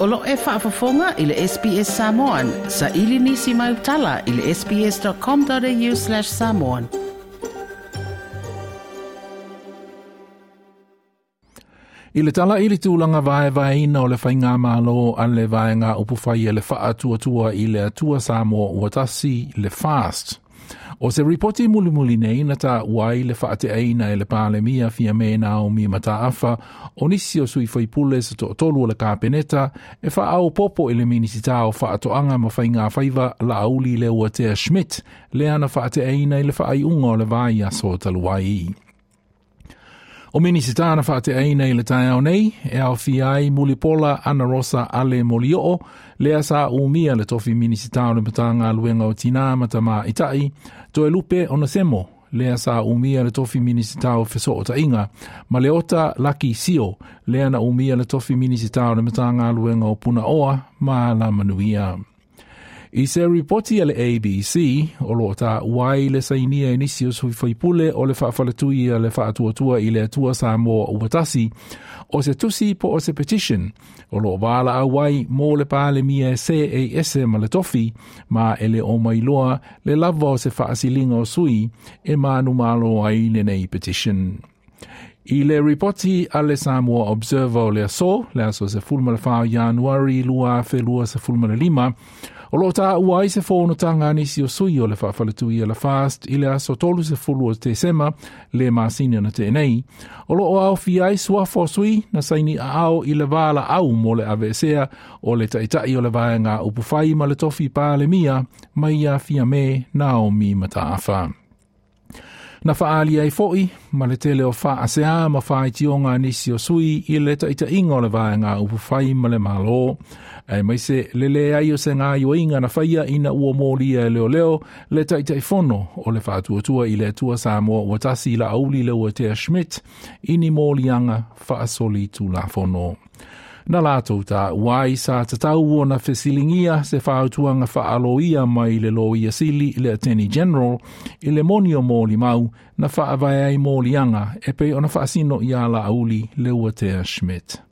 O lo e faafofoga i le SBS Samoan. Sa ili nisi mai utala i le sbs.com.au/samoan. I le tala i le tulaga vaevaeina o le faigamalo a le vaega upufai e le faatuatua i le Atua Samoa ua tasi le FAST. O se ripoti mulimuli nei na taua ai le faateaina e le Palemia Fiame Naomi Mataafa o nisi o sui faipule se toatolu o le Kapeneta e faaopoopo i le Minisita o Faatoaga ma Faigafaiva Laauli Leuatea Schmidt lea na faateaina i le faaiuga o le vaiaso talu ai. O Minisita na faateaina i le taeao nei e aofia ai Mulipola Anarosa Ale Molioo, lea sa umia le tofi Minisita o le Matagaluega o Tinā ma Tamaitai, Toelupe Onesemo, lea sa umia le tofi Minisita o Fesootaiga, ma Leota Laki Sio, lea na umia le tofi Minisita o le Matagaluega o Punaoa ma Alamanuia. I se ripoti a le ABC, o lo o taua ai le sainia e nisi o sui faipule o le faafaletui a le faatuatua i le Atua Samoa ua tasi, o se tusi po o se petition, o lo o valaau ai mo le Palemia e seei ese ma le tofi, ma e le o mailoa le lava o se faasiliga o sui e manumalo ai lenei petition. I le ripoti a le Samoa Observer o le aso, le aso 14 Ianuari 2025, o lo o taua ai se fonotaga a nisi o sui o le faafaletui a le FAST i le aso 30 o Tesema le masina na tea nei, o lo o aofia ai suafa o sui na saini aao i le valaau mo le aveesea o le taitai o le vaega upufai ma le tofi Palemia mai ia Fiame Naomi Mataafa. Na faaali ai foi ma le tele o faasea ma faaitioga a nisi o sui i le taitaiga o le vaega upufai ma le Malo, aemaise le leai o se gaoioiga na faia ina ua molia e leoleo le Taitaifono o le Faatuatua i le Atua Samoa ua tasi Laauli Leuatea Schmidt i ni moliaga faasolitulafono. Na latou taua ai sa tatau ona fesiligia se fautuaga faaloia mai le Loia Sili le Attorney General i le moni o molimau na faavae ai moliaga e pei ona faasino ia Laauli Leuatea Schmidt.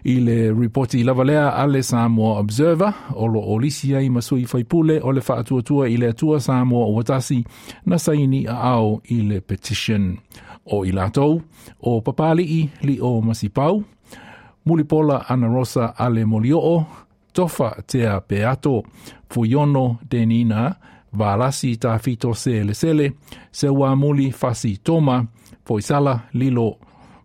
I le ripoti lava lea a le Samoa Observer, o lo o lisi ai ma sui faipule o le Faatuatua i le Atua Samoa ua tasi na saini aao i le petition. O i latou, o Papali'i Lio Masipau, Mulipola Anarosa Ale Molioo, Tofa Tea Peato, Fuiono Denina, Valasi Tafito Selesele, Seuamuli Fasi Toma, Foisala Lilo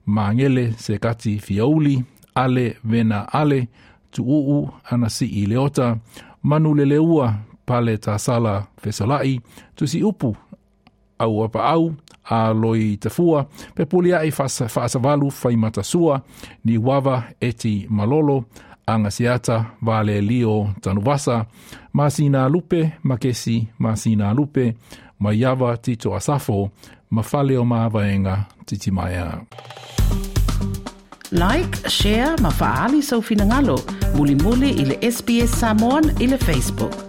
Mangele Sekati Fiauli, Ale Vena Ale, Tu'u'u Anasi'i Leota, Manuleleua Pale Tasala Fesola'i, Tusi'upu Auapaau, a loi tafua, Pepulia'i Faasavalu Faimatasua, Niuava Eti Malolo, Agasiata Valelio Tanuvasa, Masina Lupe, Makesi Masina Lupe, Maiava Tito Asafo, Mafaleomavaega Titimaea. Like, share ma faaali sou finagalo. Mulimuli i le SBS Samoan i le Facebook.